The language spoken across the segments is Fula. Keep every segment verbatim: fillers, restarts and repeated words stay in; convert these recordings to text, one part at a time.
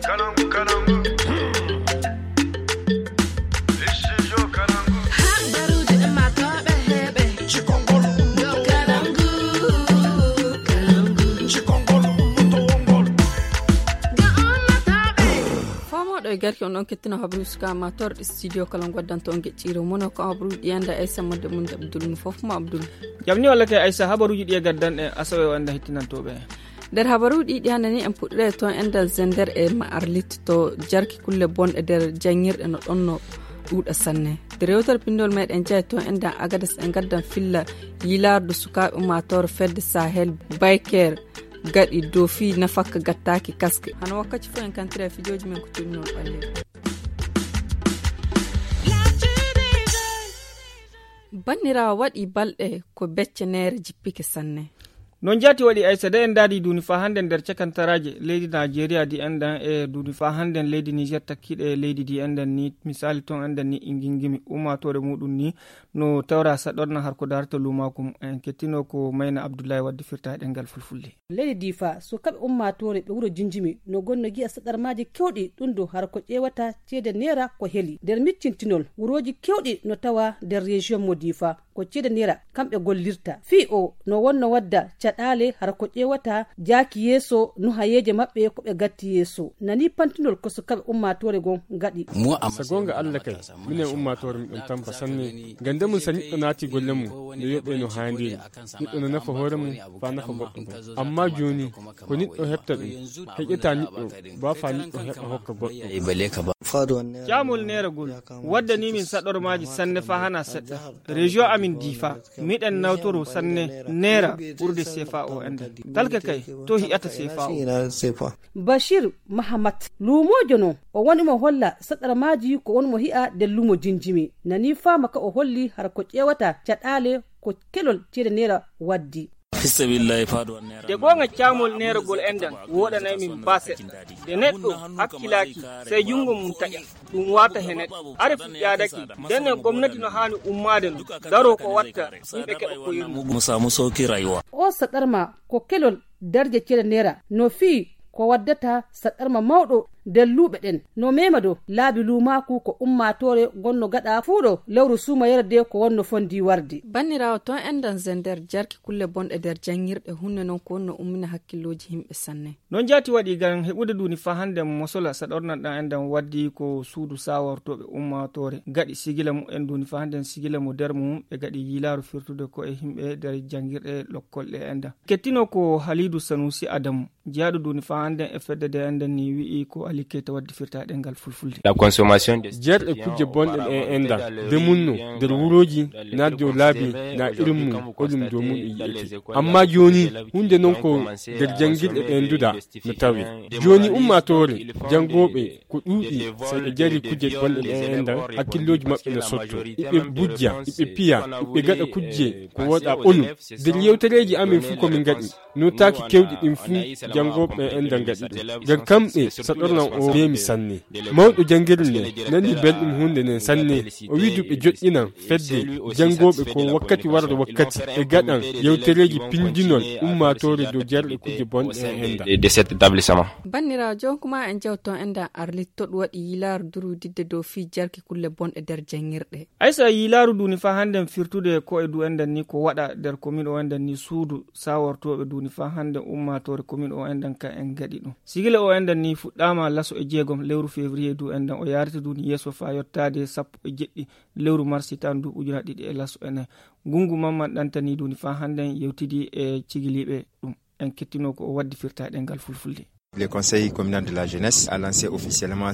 Kalangu, kalangu. Studio Kalangu. Habaruuji ummaatooɓe heɓe. Cikongol. Yo Kalangu, Kalangu. Cikongol, ummatowol ngol. Ga ummaatooɓe. Fomooɗo e garki on ɗon kettino habaruuji suka ummaatooɓe studio Kalangu waddanta on geɗɗiiro mono ko habaruuji ɗi annda Aissa Modde mum Abdul mo fof mo Abdul. Jam ni walla kay Aissa habaruuji ɗi e gaddan e asawe o annda hettinantooɓe. Nder habaruuji ɗi ɗi hannde ni en puɗɗoyay toon enɗan Zender e ma Arlit to jarki kulle bonɗe nder janngirɗe no ɗon no ɗuuɗa sanne. Nder yewtere pinndol meɗen jeya toon enɗan Agades en ngaddan filla yiilaardu sukaaɓe ummaatoore fedde Sahel Bayker gaɗi dow fii nafakka gattaaki kaske. Hano wakkati fof en kantira e fijooji men ko tolni noon ɓalleeji. Banniraawo waɗi balɗe ko becce neere jippike sanne. Noon jaati waɗi Aissa de en ndaadi duuni faa hannde nder cakantaraaje leydi Naajeeriya di enɗan e duuni faa hannde leydi Niger takkiiɗe leydi di enɗan ni misaali toon enɗan ni ingingimi ummaatoore muuɗum ni no tawra saɗorna har ko darata luumaaku mum. En kettinoo ko Mayna Abdullahi wadde firtaade ɗemngal fulfulde. Leydi Diifa, sukaaɓe ummaatoore ɓe wuro Jinjimi no gonno gi'a saɗarmaaji keewɗi ɗum do har ko ƴeewata ceede neera ko heli. Nder miccintinol, wurooji keewɗi no tawa nder région mo Diifa. Ko ceede neera kamɓe gollirta. Fii o no wonno wadda caɗaale hara ko ƴeewata jaaki yeeso nuhayeeje maɓɓe ko ɓe gatti yeeso. Nani pantinol ko sukaaɓe ummaatoore gon gaɗi. So goonga Alla kay, minen ummaatoore miɗon tampa sanne. Ngam nde mum so neɗɗo naati golle mum, no yoɓee no haaniri. Neɗɗo no nafa hoore mum, faa nafa goɗɗo goo. Ammaa jooni, ko neɗɗo heɓta ɗum, heƴataa neɗɗo, baa faa neɗɗo heɓa hokka goɗɗo. Caamol neeragol, waddanii min saɗormaaji sanne faa hanaa seɗɗa. Région amin Diifa, miɗen nawtoroo sanne neera ɓurde seefaa o enɗan. Talka kay, to hi'ata seefaa o. Bashir Mahamat, luumoojo non, o woni mo holla saɗarmaaji ko woni mo hi'a nder luumo Jinjimi. Nani faama ka o holli hara ko ƴeewata caɗaale ko kelol ceede neera waddi. Fisabilillahi faado an neera. De goonga caamol neeragol enɗan wooɗanay min baa seɗɗa. De neɗɗo hakkilaaki, sey junngo mum taƴa, ɗum waata he neɗɗo. Are fuɗɗaadake, nden e gomnati no haani ummaade no, daroo ko watta, yimɓe keɓa ko yurmo. Mu samu sauki rayuwa. O saɗarma ko kelol darje ceede neera, no fii ko waddata saɗarma mawɗo nder luuɓe ɗen. No meema do laabi luumaaku ko ummaatoore gonno gaɗa fuu ɗo lewru suumayere de ko wonno fondi warde. Banniraawo toon enɗan Zender jarki kulle bonɗe nder janngirɗe hunde non ko wonno ummina hakkillooji yimɓe sanne. Noon jaati waɗi ngam heɓude duuni faa hannde mosola saɗornan ɗan enɗan waddi ko suudu saawortooɓe ummaatoore gaɗi sigila mumen duuni faa hannde sigila mo nder mum ɓe gaɗi yiilaaru firtude ko e yimɓe nder janngirɗe lokkol ɗe enɗan. Kettinoo ko Haliidu Sanuusi Adamu. Jeyaaɗo duuni faa hannde e fedde de enɗan ni wi'i ko Ali Keyta waddi firtaade ɗemngal fulfulde. La consommation de Jeerɗe kujje bonɗe ɗe enɗan de munno nder wurooji naa dow laabi naa irin mum oɗum dow mum e yi'ete. Ammaa jooni huunde non ko nder janngirɗe ɗe nduɗa no tawee. Jooni ummaatoore janngooɓe ko ɗuuɗi, so ɓe jarii kujje bonɗe ɗe enɗan, hakkillooji maɓɓe no sotto. Iɓe bujja, iɓe piya, iɓe gaɗa kujje ko wooɗaa ɓonu. Nder yewtereeji amin fuu ko min ngaɗi, nootaaki keewɗi ɗin fuu janngooɓe enɗan ngaɗi ɗum. Ngam kamɓe saɗornan o meemi sanne. Mawɗo janngirde nde nani belɗum huunde nden sanne. O wi'i du ɓe joɗɗinan fedde janngooɓe ko wakkati warata wakkati ɓe gaɗan yewtereeji pinndinol ummaatoore dow jarɗe kujje bonɗe e enɗan. De cet établissement. Banniraawo, jooni kuma en jewto enɗan Arlit to ɗum waɗi yiilaaru durwididde dow fii jarki kulle bonɗe nder janngirɗe. Aysa yiilaaru duuni faa hannden firtude ko e du enɗan ni ko waɗa nder komin o enɗan ni suudu saawortooɓe duuni faa hannden ummaatoore komin o enɗan ka en ngaɗi ɗum. Sigila o enɗan ni fuɗɗaama laso e jeegom lewru février du enɗan o yaarete duuni yeeso faa yottaade sappo e jeɗɗi lewru mars hitaan du ujuna ɗiɗi e laso e nayi. Ngunngu Mamman Ɗantani duuni faa hannden yewtidi e cigiliiɓe ɗum. En kettinoo ko o waddi firtaaɗe ngal fulfulde. Le Conseil communal de la jeunesse a lancé officiellement.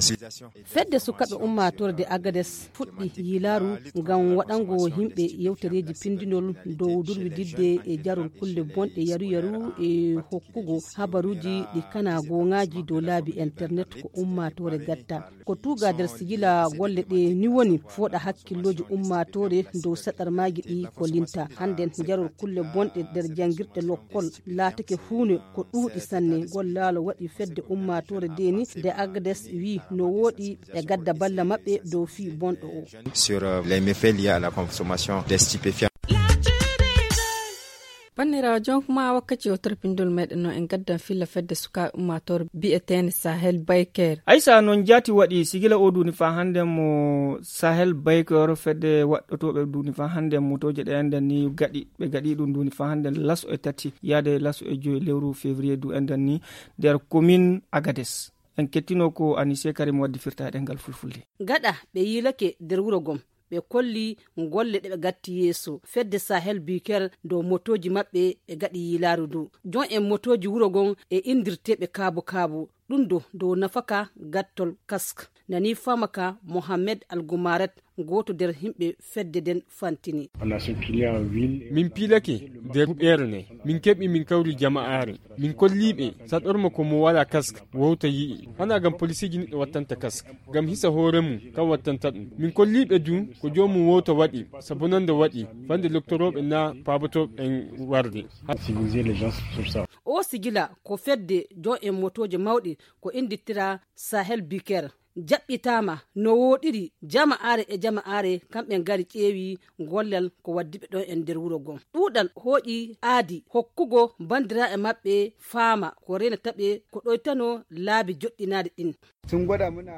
Fedde sukaaɓe ummaatoore de Agades fuɗɗi yiilaaru ngam waɗango yimɓe yewtereeji pinndinol dow durwididde e jarol kulle bonɗe yaru yaru e hokkugo habaruuji ɗi kanaa gooŋaaji dow laabi internet ko ummaatoore gatta. Ko tuuga nder sijila golle ɗe ni woni fooɗa hakkillooji ummaatoore dow saɗarmaaji ɗi ko linta. Hannden jarol kulle bonɗe nder janngirɗe lokkol laatake huune ko ɗuuɗi sanne. Gollaalo waɗi fedde ummaatoore de ni de Agades wi'i no wooɗi ɓe gadda balla maɓɓe dow fii bonɗo o. Sur euh, les méfaits liés à la consommation des stupéfiants. Banniraawo, jonkuma wakkati o torpindol meɗen no en gaddan filla fedde sukaaɓe ummaatoore bi'eteende Sahel Bayker. Aysa, noon jaati waɗi sigila o duuni faa hannde mo Sahel Bayker, fedde waɗɗotooɓe duuni faa hannde motooje ɗe enɗan ni gaɗi, ɓe gaɗi ɗum duuni faa hannde laso e tati yaade laso e joyi lewru février du enɗan ni nder commune Agades. En kettino ko Anise Karim waddi firtaade ngal fulfulde. Gaɗa ɓe yiilake nder wuro gom, ɓe kolli golle ɗe ɓe gatti yeeso fedde Sahel Biker dow motooji maɓɓe ɓe gaɗi yiilaaru ndu. Jon en motooji wuro gon e indirteeɓe kaabu kaabu, ɗum do dow nafaka gattol kask. Nani faama ka Mohamed Algumaret, gooto nder yimɓe fedde nden fantini. Min piilake nder huɓeere nde, min keɓi min kawri jama'aare. Min kolli ɓe saɗorma ko mo wala kask wowta yi'i. Hana ngam polisiiji neɗɗo wattanta kask, ngam hisa hoore mum, kam wattanta ɗum. Min kolli ɓe du ko joomum wowta waɗi, sabu nande waɗi fande loktorooɓe na paabotooɓe en warde. O sigila ko fedde jon en motooje mawɗe ko innditira Sahel Biker jaɓɓitaama no wooɗiri, jama'aare e jama'aare kamɓe ngari ƴeewi gollal ko waddi ɓe ɗon en nder wuro gon. Ɗuuɗal hooƴi aadi hokkugo banndiraaɓe maɓɓe faama ko reenata ɓe ko ɗoytano laabi joɗɗinaaɗi ɗin.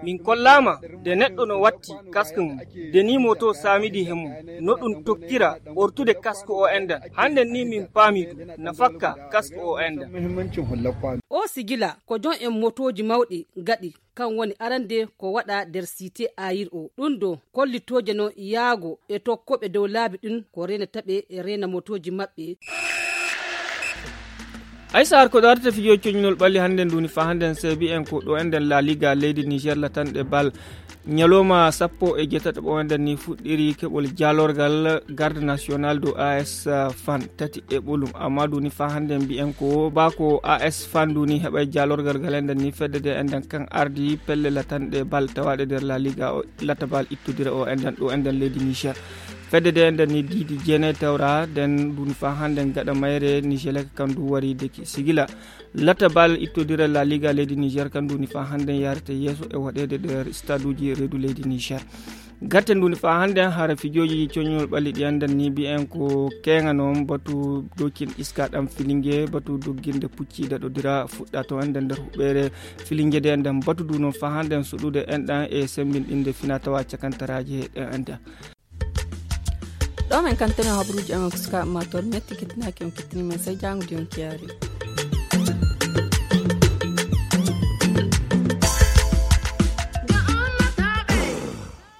Min kollaama de neɗɗo no watti kask mum, de ni moto saamidi he mum, no ɗum tokkira ɓortude kask o enɗan. Hannden ni min paami du na fakka kask o enɗan. O sigila ko jon en motooji mawɗi gaɗi, kan woni arande ko waɗa nder site ayir o. Ɗum do kollitooje no yaago e tokkoɓe dow laabi ɗin ko reenata ɓe e reena motooji maɓɓe. Aysa, har ko darata fijo coñnol ɓalli hannde nduni fa hannde en seebi en ko ɗo enɗen La Liga leydi Niger latanɗe bal. Ñalawma sappo e jeetato o enɗen ni fuɗɗiri keɓol jaalorgal garde national do A S Fan tati e ɓolum. Amma nduni fa hannde mbiyen ko ba ko A S Fan nduni heɓay jaalorgal gal enɗen ni fedde de enɗen kan ardi pelle latanɗe bal tawaɗe nder La Liga o, lata bal ittodira o enɗen ɗo enɗen leydi Niger. Fedde de enɗen ni diidi jeenay tawra den nduni fa hannde gaɗa mayre Nigelec kan du wari deki sigila. Lata bal ittodira La Liga leydi Niger kan nduni fa hannde yarete yeeso e waɗede nder staduji reedu leydi Niger. Gatte nduni fa hannde hara fijooji coñol ɓalli ɗi enɗen ni mbiyen ko keŋa noon batu dokin iska ɗam filinge, batu dogginde pucci daɗodira fuɗɗa to enɗen nder huɓɓere filinge de enɗen batu du noon fa hannde suɗude enɗan e sembinɗinde fina tawa cakantaraaji ɗe enɗen. Ɗo men kantene habruuji amen ko sukaaɓe ma toon metti kettinaaki on kettini men sey jaango di on kiyaari.